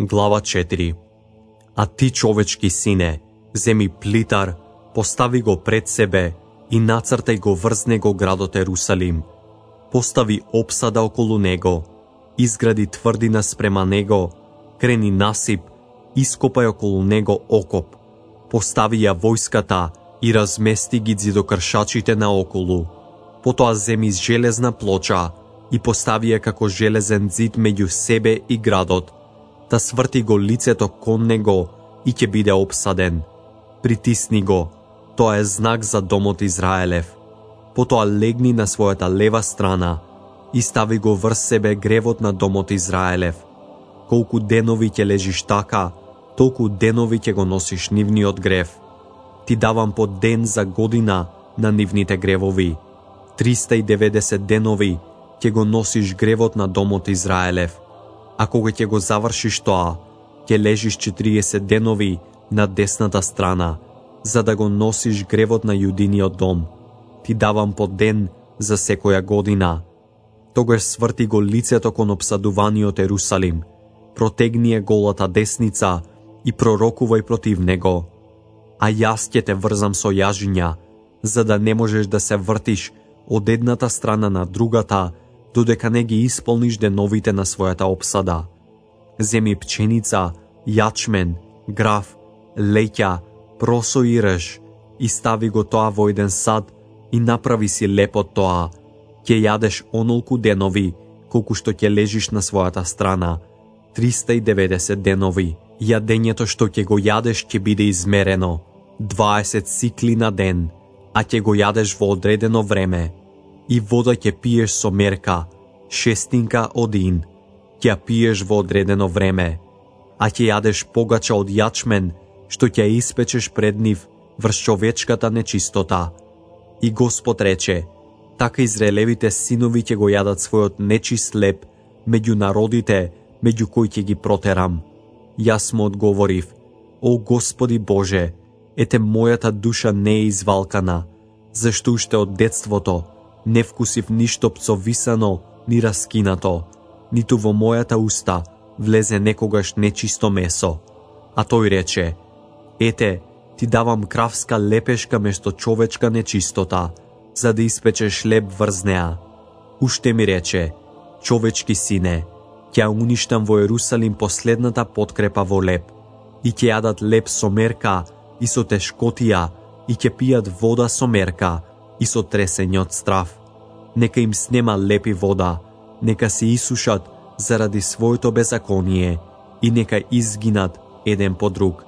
Глава 4. А ти, човечки сине, земи плитар, постави го пред себе и нацртај го врз него градот Ерусалим. Постави опсада околу него, изгради тврдина спрема него, крени насип, ископај околу него окоп, постави ја војската и размести ги ѕидокршачите наоколу. Потоа земи железна плоча и постави ја како железен ѕид меѓу себе и градот, та сврти го лицето кон него и ќе биде опсаден. Притисни го, тоа е знак за домот Израелев. Потоа легни на својата лева страна и стави го врз себе гревот на домот Израелев. Колку денови ќе лежиш така, толку денови ќе го носиш нивниот грев. Ти давам по ден за година на нивните гревови. 390 денови ќе го носиш гревот на домот Израелев. А кога ќе го завршиш тоа, ќе лежиш 40 денови на десната страна, за да го носиш гревот на јудиниот дом. Ти давам по ден за секоја година. Тогаш сврти го лицето кон обсадуваниот Ерусалим, протегни ја голата десница и пророкувај против него. А јас ќе те врзам со јажиња, за да не можеш да се вртиш од едната страна на другата, додека не ги исполниш деновите на својата опсада. Земи пченица, јачмен, граф, леќа, просо и рж, и стави го тоа во еден сад и направи си леп од тоа. Ќе јадеш онолку денови, колку што ќе лежиш на својата страна, 390 денови. Јадењето што ќе го јадеш ќе биде измерено, 20 сикли на ден, а ќе го јадеш во одредено време. И вода ќе пиеш со мерка, 6 один, ќе ја пиеш во одредено време, а ќе јадеш погача од јачмен, што ќе ја испечеш пред нив врз човечката нечистота. И Господ рече, така израелевите синови ќе го јадат својот нечист леп меѓу народите, меѓу кои ќе ги протерам. Јас му одговорив, о Господи Боже, ете мојата душа не е извалкана, зашто уште од детството не вкусив ништо пцовисано ни раскинато, ниту во мојата уста влезе некогаш нечисто месо. А тој рече, ете, ти давам кравска лепешка место човечка нечистота, за да испечеш леп врз неа. Уште ми рече, човечки сине, ќе уништам во Ерусалим последната подкрепа во леп, и ќе јадат леп со мерка и со тешкотија, и ќе пијат вода со мерка и со тресење од страв. Нека им снема леп и вода, нека се исушат заради своето беззаконие и нека изгинат еден по друг.